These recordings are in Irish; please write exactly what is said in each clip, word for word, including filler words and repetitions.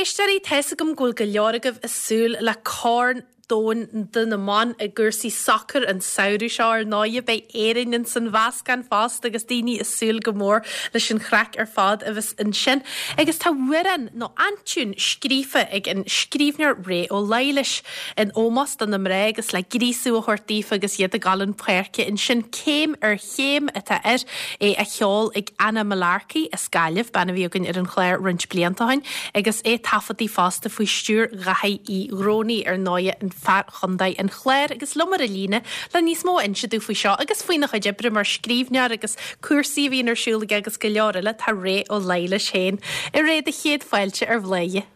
éisteoirí, tá's agam go bhfuil go leor agaibh ag súil le Corn Domhanda do na mban i gcúrsaí sacair an samhradh seo ar ndóigh beidh Éirinn in san mheascán fosta agus daoine ag súil go mór leis an chraic ar fad a bheas ansin. Agus tá amhrán nó aintiún scríofa ag an scríbhneoir Ré Ó Laighléis in ómós do na mná agus le gríosadh a thabhairt daofa agus iad ag gabháil chun páirce ansin céim ar chéim atá air é á cheol ag Anna Mullarkey as Gaillimh bean a bhí againn ar an chlár roinnt blianta ó shin, agus é taifeadta fosta faoi stiúir Dhaithí Uí Dhrónaí ar ndóigh an fear Chontae an Chláir agus liom ar an líne le níos mó a inse dúinn faoi seo agus faoina chuid oibre mar scríbhneoir agus cúrsaí a bhíonn ar siúl aige agus go leor eile tá Ré Ó Laighléis féin. A Ré do chéad fáilte ar Bhladhaire.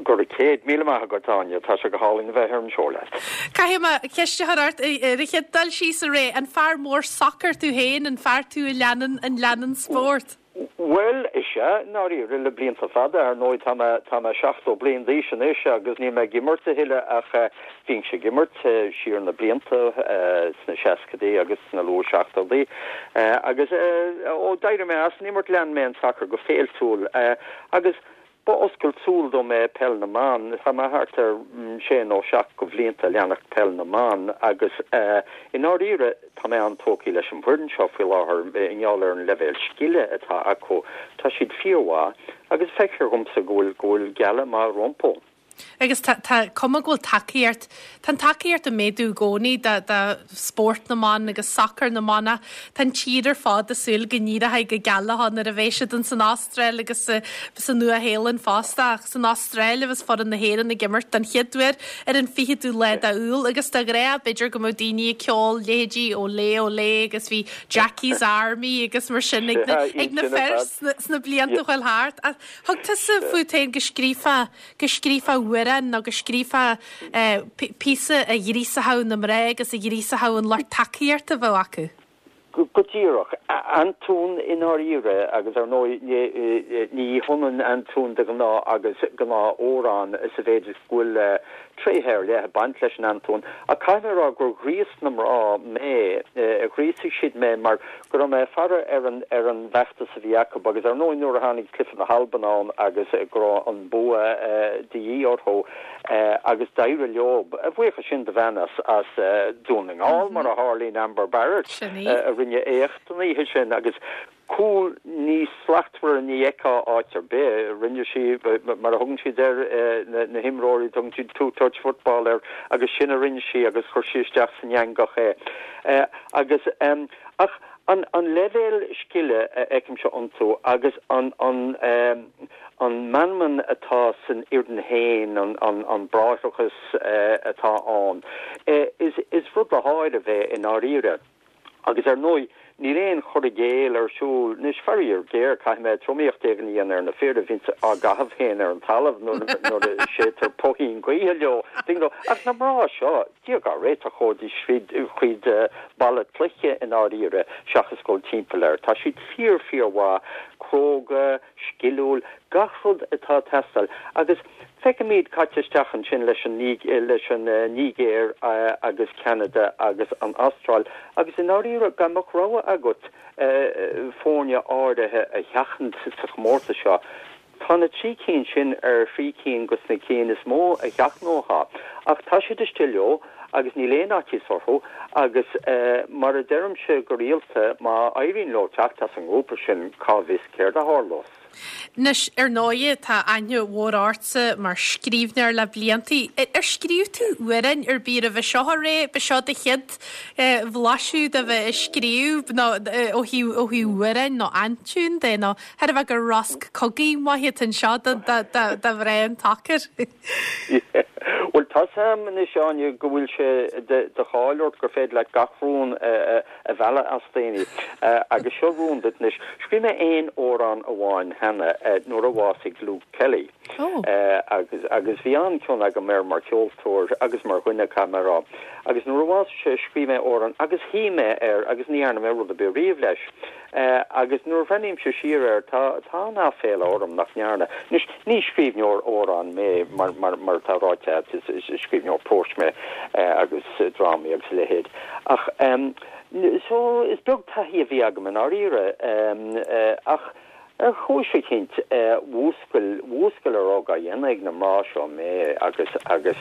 Go raibh céad míle maith agat Áine tá sé go hálainn bheith ar an seó leat. Caithfidh mé ceist a chur ort ar an chéad dul síos a Ré an fear mór sacair tú féin an fear tú a leanann an leanann spórt. Well is ea dáiríre le blianta fada ar ndóigh tá tá mé seachtó bliain d'aois anois agus níl mé ag imirt a thuilleadh ach bhínnse ag imirt siar na blianta sna seascaidí agus sna luath seachtóidí agus ó d'éirigh mé as an imirt lean mé an soccer go féiltiúil agus Ba oscailt súl dom é peil na mban tá mé thart ar sé nó seacht de bhlianta leanacht peil na mban agus i ndáiríre tá mé an-tógtha leis an bhfoireann seo faoi láthair i ngeall ar an leibhéal scile atá acu tá siad fíormhaith agus feictear domsa go bhfuil go bhfuil gealladh maith rompu. Agus tá cuma go bhfuil tacaíocht Tá an tacaíocht ag méadú i gcónaí do spórt na mban agus sacar na mban Tá an tír ar fad ag súil go n-éireoidh go geal leo nuair a bheidh siad an san Astráil agus san Nua-Shéalainn fosta ach san Astráil agus foireann na hÉireann ag imirt den chéad uair ar an fichiú lá d'Iúil agus de ghnáth b'fhéidir go mbeadh daoine ag ceol leithéidí Olé Olé agus bhí Jackie's Army agus mar sin ag na, ag na fir sna blianta chuaigh thart. Thug tusa fút féin go scríofa go scríofa amhrán nó go scríofa píosa a ghríosódh na mná agus a ghríosódh an lucht tacaíochta a bheadh acu. Go díreach aintiún i ndáiríre agus ar ndóigh ní hionann aintiún de ghnáth agus gnáthamhrán sa mhéid is go bhfuil tréithe ar leith ag baint leis an aintiún a caithfidh mé a rá gur ghríos na mná mé ghríosaigh siad mé mar go raibh mé ag faire ar an ar an bhfeachtas a bhí acu agus ar ndóigh nuair a tháinig cluiche na hAlban ann agus go raibh an bua de dhíth orthu agus d'éirigh leo a bhuíochas sin do bhean as as Dún na nGall mar a tharlaíonn Amber Barrett a rinne éacht an oíche sin agus cúl níos slachtmhaire ní fheicfeá áit ar bith rinne sí mar a thugann siad ar na himreoirí tugann siad two touch football air agus sin a rinne sí agus chuir sí isteach san eangach é agus um, ach an an leibhéal scile a fheicimse iontu agus an an um, an meanman atá san fhoireann féin an an an bráithreachas uh, atá ann uh, is is rud le háireamh é i ndáiríre agus ar ndóigh níl aon chur i gcéill ar siúl anois faraor géar caithfidh mé tromaíocht éigin a dhéanamh ar na fir a bhíonn á gcaitheamh féin ar an talamh nuair a séidtear puithín gaoithe leo ach na mná seo Dia dár réiteach chuaigh siad tríd balla cloiche i ndáiríre seachas dul timpeall air. Tá siad fíor fíormhaith cróga, sciliúil, gach rud atá ag teastáil agus feicimid caite isteach ansin leis an leis an Nigéir agus Canada agus an Astráil agus i ndáiríre dá mbeadh rogha agat foirne áirithe a sheachaint sa chomórtas seo. Tá na trí cinn sin ar thrí cinn de na cinn is mó a sheachnófá, ach tá siad istigh leo agus níl aon fhaitíos orthu agus uh, mar a deirimse go rialta má éiríonn leo teacht as an ngrúpa sin cá bhfios céard a tharlós. Anois ar ndóigh tá aithne mhór ortsa mar scríbhneoir le blianta. Ar scríobh tú amhrán ar bith roimhe seo a Ré ba seo do chéad bhlaiseadh de bheith ag scríobh nó ó thaobh ó thaobh amhráin nó aintiún de nó thar a bheith gur rosc cogaidh maith anseo do mhná an tsacair. Well tá sam anois Áine go bhfuil sé de cháil ort gur féidir leat gach rún a mhealladh as daoine agus seo rún duit anois. Scríobh mé aon amhrán amháin cheana nuair a bhásaigh Luke Kelly. Oh. agus agus bhí an-chion agam air mar cheoltóir agus mar dhuine caithfidh mé a rá. Agus nuair a bhásaigh sé scríobh mé amhrán agus shuigh mé air agus ní dhearna mé rud ar bith riamh leis. Uh, agus nuair a bhreathnaímse siar air tá tá an-aiféala orm nach ndearna. Ní ní scríbhneoir amhrán mé mar mar mar tá ráite is, is, is scríbhneoir próis mé uh, agus uh, drámaí agus leithéid. Ach um, so is beag taithí a bhí agam i ndáiríre um, uh, ach Ar chúis eicínt, mhúscail, mhúscail a raibh á dhéanamh ag na mná seo mé agus, agus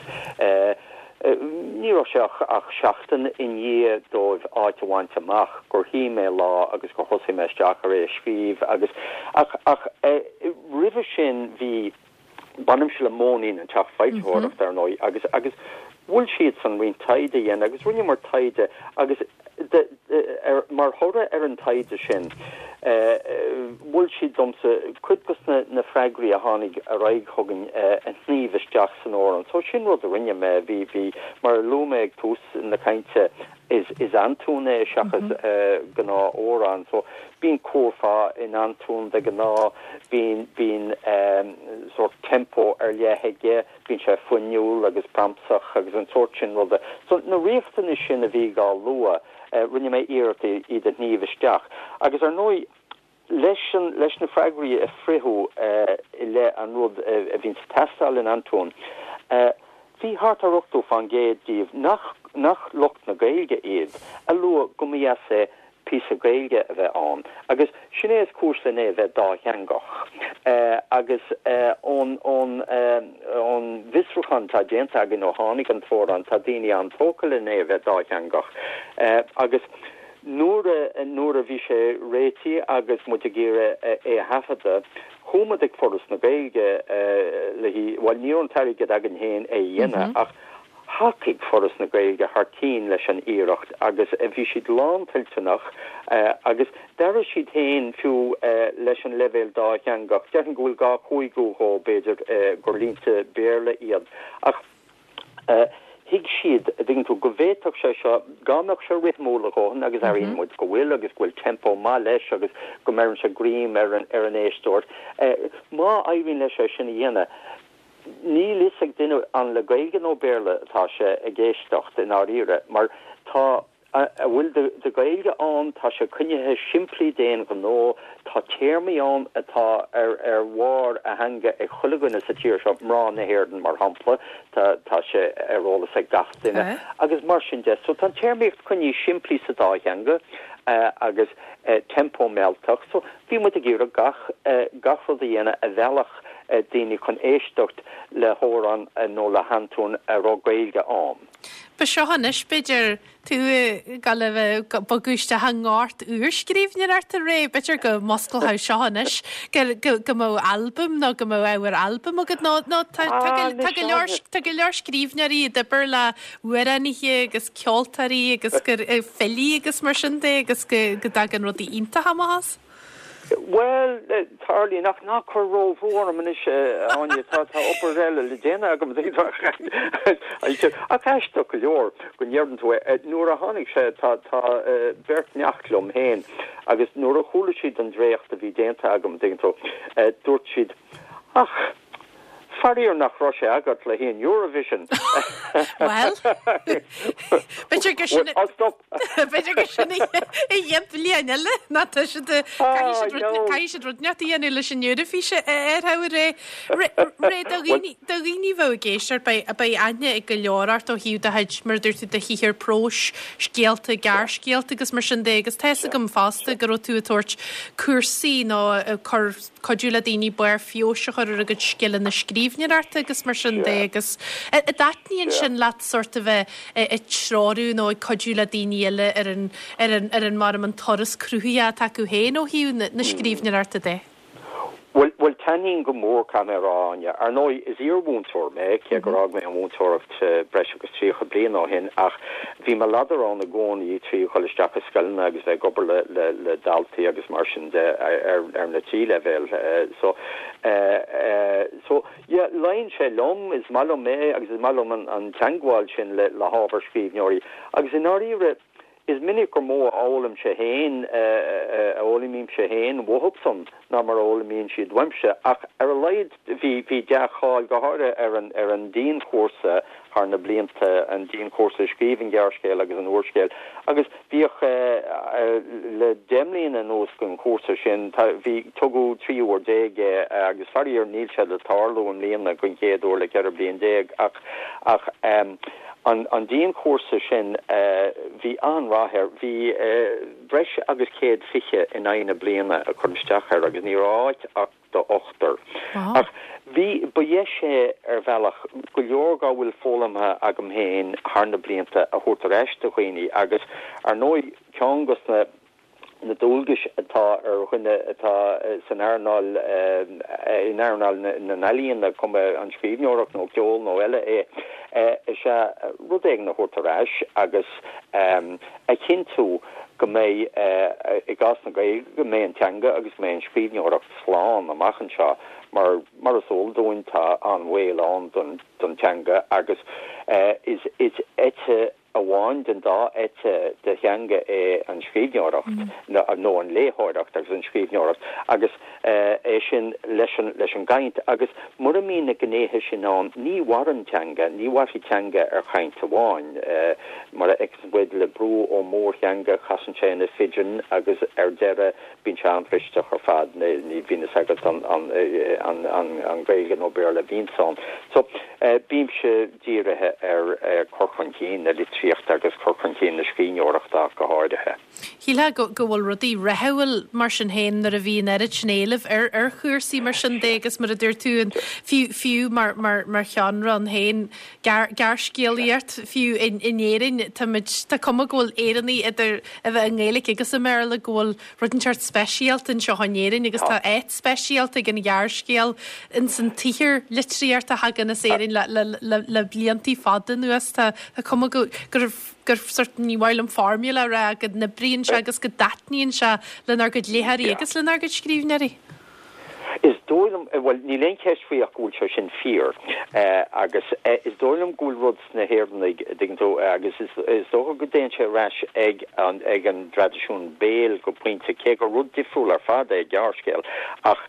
ní raibh sé ach, ach seachtain i ndiaidh dóibh áit a bhaint amach gur shuigh mé lá agus gur thosaigh mé isteach ar é a scríobh agus, ach, ach roimhe sin bhí, Bainimse le Móinín, an teach foilsitheoireachta, ar ndóigh, agus agus mhol siadsan roinnt taighde a dhéanamh agus rinneamar taighde agus de, de, ar, mar thoradh ar an taighde sin, mhol siad domsa cuid dos na, na freagraí a tháinig ar aghaidh chugainn a shníomh isteach san amhrán. So sin rud a rinne mé, bhí, bhí, mar a luaigh mé ag tús na cainte, is, is antóin é seachas gnáth-amhrán. So bíonn curfá in antóin de ghnáth, bíonn, bíonn sórt tempo ar leith aige, bíonn sé fuinniúil agus pramsach agus an sórt sin ruda. So na riachtanais sin a bhí á lua, rinne mé iarracht iad a shníomh isteach. Agus ar ndóigh, leis an, leis na freagraí a fritheadh i leith an rud a bhíonns ag teastáil in antóin, bhí thart ar ochtó fán gcéad díobh nach, nach lucht na Gaeilge iad, a luaigh go mba dheas é píosa Gaeilge a bheith ann. Agus sin é is cúis len é a bheith dátheangach. Agus ón, ón, ón bhfiosrúchán atá déanta againn ó tháinig an t-amhrán, tá daoine an-tógtha len é a bheith dátheangach. Agus nuair a, nuair a bhí sé réitithe agus muid ag iarraidh é a thaifeadadh, chuaigh muid ag Foras na Gaeilge le hí, bhuel ní raibh an t-airgead againn féin é a dhéanamh ach thacaigh Foras na Gaeilge thar cinn leis an iarracht agus bhí siad lántoilteanach agus d'airigh siad féin fiú leis an leibhéal dátheangach, déarfainn go bhfuil dhá chúigiú dhó b'fhéidir gur línte Béarla iad ach thuig siad, an dtuigeann tú, go bhféadfadh sé seo, dá mbeadh sé rithimiúil a dhóthain agus airíonn muid go bhfuil agus go bhfuil tempo maith leis agus go mbeireann sé greim ar an ar an éisteoir, má éiríonn leis é sin a dhéanamh, níl fhios ag duine an le Gaeilge nó Béarla atá sé ag éisteacht i ndáiríre mar tá a bhfuil de Ghaeilge ann, tá sé coinnithe simplí d'aon ghnó, tá téarmaí ann atá ar ar bharr a theanga ag chuile dhuine sa tír seo, mná na hÉireann mar shampla, tá tá sé ar eolas ag gach duine agus mar sin de. So tá an téarmaíocht coinnithe simplí sa dá theanga agus tempo mealltach. So bhí muid ag iarraidh gach gach rud a dhéanamh a mheallfadh daoine chun éisteacht le hamhrán nó le hantóin a raibh Gaeilge ann. Ba seo anois b'fhéidir tú ag gabháil a bheith ag bogadh isteach i ngort úrscríbhneoireachta réidh, b'fhéidir go musclódh seo anois go go go mbeadh albam nó go mbeadh ábhar albaim agat nó nó tá tá go tá go leor tá go leor scríbhneoirí ag obair le hamhránaithe agus ceoltóirí agus gur filí agus mar sin de agus go go dtagann rudaí iontacha amach as. Bhuel, tarlaíonn ach ná cuir róbhrú orm anois, a Áine, tá tá obair eile le déanamh agam. Ach aisteach go leor go ndeireann tú é. Nuair a tháinig sé, tá tá beirt neacht liom féin agus nuair a chuala siad an dréacht a bhí déanta agam, tuigeann tú, dúirt siad, Ach, faraor nach raibh sé agat le haghaidh an Eurovision. Bhuel, b'fhéidir gur sin I'll stop. B'fhéidir gur sin an chéad bhliain eile ná tá siad caithfidh siad rud caithfidh siad rud inteacht a dhéanamh leis an Eoraifís a ar ré ré do dhaoine do dhaoine bheith ag éisteacht beidh beidh aithne ag go leor ort ó thaobh do chuid mar a dúirt tú do shaothar próis, scéalta, gearrscéalta agus mar sin de agus tá fhios agam fosta go raibh tú ag tabhairt cúrsaí nó ag cur cuidiú le daoine barr feabhais a chur ar a gcuid scileanna scríbhneoireachta agus mar sin de agus an dtaitníonn sin leat sórt a bheith ag treorú nó ag cuidiú le daoine eile ar an ar an ar an mar an turas cruthaithe atá acu féin ó thaobh na, na scríbhneoireachta de. Bhuel, bhuel taitníonn go mór caithfidh mé a rá, Áine. Ar ndóigh, is iarmhúinteoir mé, cé gur fhág mé an mhúinteoireacht breis agus tríocha bliain ó shin, ach bhí mo ladar ann i gcónaí trí dhul isteach i scoileanna agus bheith ag obair le, le, le daltaí agus mar sin de ar, ar na trí leibhéal. So, so yeah, luíonn sé liom, is maith liom é agus is maith liom an, an teagmháil sin le, le hábhar scríbhneoirí. Agus i ndáiríre, is minic gur mó a fhoghlaimse féin, a fhoghlaimímse féin uathusan ná mar a fhoghlaimíonn siad uaimse, ach ar a laghad bhí bhí dea-cháil go háirithe ar an ar an dianchúrsa thar na blianta, an dianchúrsa scríobh an ghearrscéil agus an úrscéil, agus bhíodh le deich mbliana anuas den chúrsa sin, tá bhí tugadh trí uair déag é agus faraor níl sé le tarlú i mbliana den chéad uair le ceithre bliain déag ach ach an an dianchúrsa sin bhí an-rath rath air. Bhí breis agus céad fiche in aghaidh na bliana a chur isteach air agus ní raibh áit ach do ochtar. Ach bhí, ba dheis é ar bhealach go leor dá bhfuil foghlamtha agam féin thar na blianta a thabhairt ar ais do dhaoine agus ar ndóigh ceann dos na na dualgais atá ar dhuine atá san earnáil, in earnáil na n-ealaíon, cuma an scríbhneoireacht nó ceol nó eile é, is ea rud éigin a thabhairt ar ais agus a chinntiú go mbeidh, i gcás na Gaeilge, go mbeidh an teanga agus go mbeidh an scríbhneoireacht slán amach anseo mar, mar is eol dúinn, tá an-bhaol ann don teanga agus is eite amháin den dá eite de theanga é an scríbhneoireacht, nó an léitheoireacht agus an scríbhneoireacht, agus é sin leis an leis an gcaint. Agus mura mbíonn na gnéithe sin ann, ní mhaireann teanga, ní mhairfidh teanga ar chaint amháin. Mar a fheiceann muid le brú ó mhórtheanga, casann sé ina phidgin agus ar deireadh bíonn sé an-bhristeach ar fad, ní bhíonn fhios agat an an an Gaeilge nó Béarla a bhíonns ann. So, bímse dírithe ar chur chun cinn na litríochta agus cur chun cinn na scríbhneoireachta ach go háirithe. Shílfeá go bhfuil rudaí rathúil mar sin féin nuair a bhí an oiread sin éilimh ar ar chúrsaí mar sin de agus mar a dúirt tú an fiú fiú mar mar mar sheánra ann féin gearrscéalaíocht fiú in in Éirinn táimid tá cuma go bhfuil Éireannaigh idir a bheith i nGaeilge agus i mBéarla go bhfuil rud inteacht speisialta anseo in Éirinn agus tá áit speisialta ag an ghearrscéal ins an tsaothar litríochta a thagann as Éirinn le le le le bliantaí fada anuas. Tá tá cuma go gur gur sort ní mhaith liom formula a rá go n-oibríonn sé agus go dtaitníonn sé lenár gcuid léitheoirí agus lenár gcuid scríbhneoirí. Is dóigh liom, bhuel, níl aon cheist faoi ach go bhfuil sé sin fíor agus is dóigh liom go bhfuil rud sna hÉireannaigh, an dtuigeann tú, agus is is dócha go dtéann sé ar ais ag an ag an dtraidisiún béil go pointe, cé gur rud difriúil ar fad é gearrscéal, ach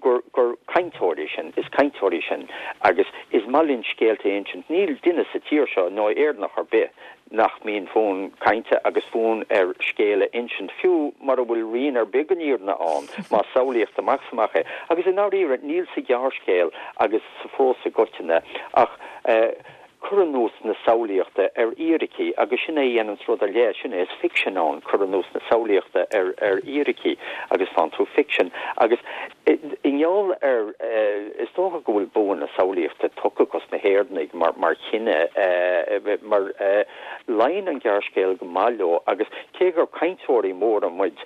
gur gur cainteoirí sinn, is cainteoirí sinn agus is maith linn scéalta a insint. Níl duine sa tír seo, nó Éireannach ar bith, nach mbíonn fonn cainte agus fonn air scéal a insint, fiú mura bhfuil rian ar bith den fhírinne ann, más samhlaíocht amach is amach é. Agus i ndáiríre, níl sa ghearrscéal agus sa phrós i gcoitinne ach cur anuas na samhlaíochta ar fhíricí, agus sin é a dhéananns rud ar leith, sin é is ficsean ann, cur anuas na samhlaíochta ar ar fhíricí agus faigheann tú ficsean. Agus i ngeall ar, is dócha go bhfuil bua na samhlaíochta tugtha dos na hÉireannaigh mar mar chine, mar luíonn an gearrscéal go maith leo agus cé gur cainteoirí móra muid,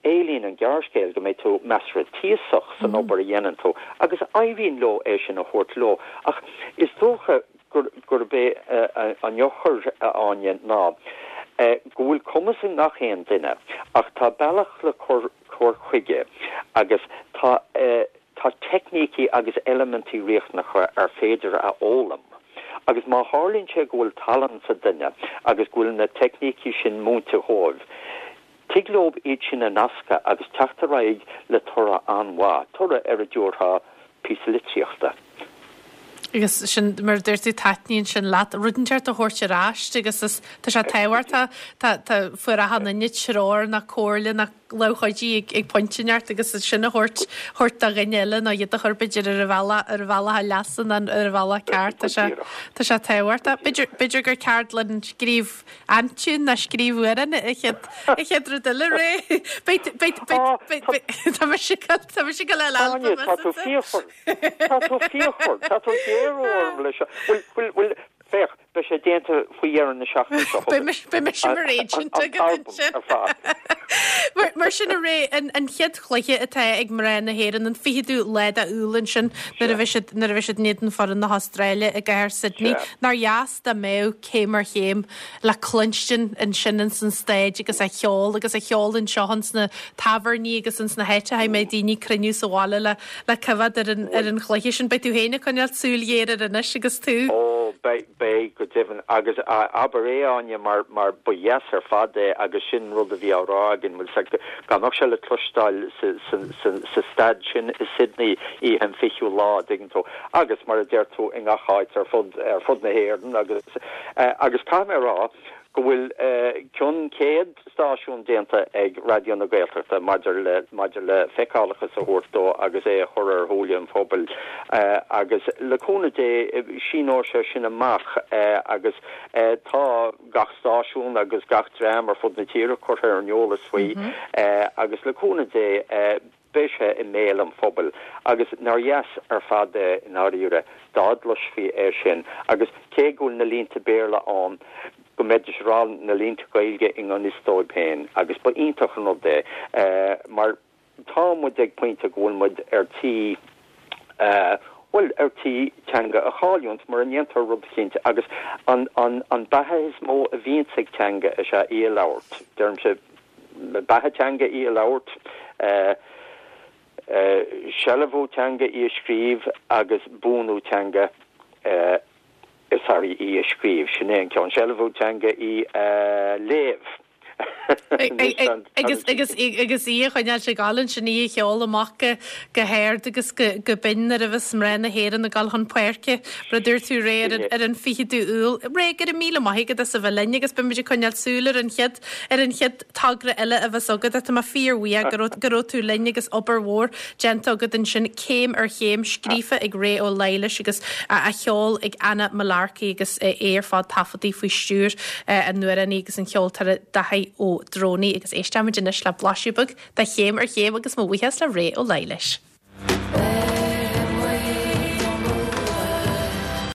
éilíonn an gearrscéal go mbeidh tú measartha tíosach san obair a dhéanann tú agus éiríonn leo é sin a thabhairt leo. Ach is dócha gurb é an eochair, a Áine, ná go bhfuil cumas i ngach aon duine ach tá bealach le cur chuige agus tá tá teicnící agus eilimintí riachtanacha ar féidir a fhoghlaim. Agus má tharlaíonn sé go bhfuil tallann sa duine agus go bhfuil na teicnící sin múinte dhóibh, tig leo iad sin a nascadh agus teacht ar aghaidh le toradh an-mhaith, toradh ar a dtabharfá píosa litríochta. Agus sin, mar a dúirt tú, taitníonn sin leat, rud inteacht a thabhairt ar ais agus is, tá sé tábhachtach, tá, tá, fuair achan duine treoir ná comhairle ná lámh chuidithe ag, ag pointe inteacht agus sin a thabhairt, thabhairt do dhuine eile nó iad a chur b'fhéidir ar an bhealach, ar an bhealach a leasa ná ar an bhealach ceart, tá sé, tá sé tábhachtach. B'fhéidir, b'fhéidir gur ceardlann scríobh aintiún ná scríobh amhrán an chéad, an chéad rud eile, Ray. Beidh, beidh, beidh, beidh, beidh, tá mise ag dul, tá mise ag dul le Áine, albam tá tú asat. fíochmhar. Tá tú fíochmhar. Tá tú ag géarú orm leis seo. Bhuel, bhuel, bhuel, féach, beidh sé déanta faoi dheireadh na seachtaine seo Beidh mise, beidh mise mar agent An agat t-albam ansin. ar fad. Mar, mar sin a Ray, an, an chéad chluiche atá ag mná na hÉireann an fichiú lá d'Iúil ansin nuair a bheidh siad, nuair a bheidh siad in éadan foireann na hAstráile i gcathair Sydney. Sea. Nár dheas dá mbeadh céim ar chéim le cluinstin ansin ins an staid agus a cheol agus a cheol anseo ins na tábhairní agus ins na háiteacha a mbeidh daoine cruinniú sa bhaile le le coimhéad ar an, ar an chluiche sin. Beidh tú féin ag coinneáil súil ghéar air anois agus tú. Ó, beidh, beidh go deimhin agus abair é Áine mar mar ba dheas ar fad é agus sin rud a bhí á rá againn bhfuil a fhios agat dá mbeadh sé le cloisteáil sa, sa, sa, sa staid sin i Sydney oíche an fichiú lá an dtuigeann tú agus mar a deir tú i ngach áit ar fud ar fud na hÉireann agus uh, agus caithfidh mé rá go bhfuil cionn céad stáisiún déanta ag Raidió na Gaeltachta maidir le maidir le feiceálachas a thabhairt dó agus é a chur ar shúile an phobail agus le cúnamh Dé síneoidh sé sin amach agus tá gach stáisiún agus gach dream ar fud na tíre curtha ar an eolas faoi agus le cúnamh Dé beidh sé i mbéal an phobail agus nár dheas ar fad é i ndáiríre dá gcloisfí é sin agus cé go bhfuil na línte Béarla ann go mbeidís ag rá na línte Gaeilge i ngan fhios dóibh féin agus ba iontach an rud é mar tá muid ag pointe go bhfuil muid ar tí bhuel ar tí teanga a chailliúint mura ndéantar rud eicínt agus an an an beatha is mó a bhíonns ag teanga is ea í a labhairt deirimse beatha teanga í a labhairt sealbhú teanga í a scríobh agus buanú teanga sorry í a scríobh sin é an ceann sealbhú teanga í a léamh. Agus agus agus í a choinneáil ag gabháil ansin í a cheol amach go go hard agus go go binn nuair a bheas mná na hÉireann ag dul chun páirce mar a dúirt tú Ray ar an ar an fichiú Iúil. Ray go raibh míle maith agat as a bheith linn agus beimid ag coinneáil súil ar an chéad ar an chéad togra eile a bheas agat. Tá mé fíorbhuíoch go raibh go raibh tú linn agus obair mhór déanta agat ansin céim ar chéim scríofa ag Ré Ó Laighléis agus a cheol ag Anna Mullarkey agus é ar fad taifeadta faoi stiúir an amhránaí agus an cheoltóra Daithí Ó Drónaí agus éisteimid anois le blaiseadh beag de chéim ar chéim agus mo bhuíochas le Ré Ó Laighléis.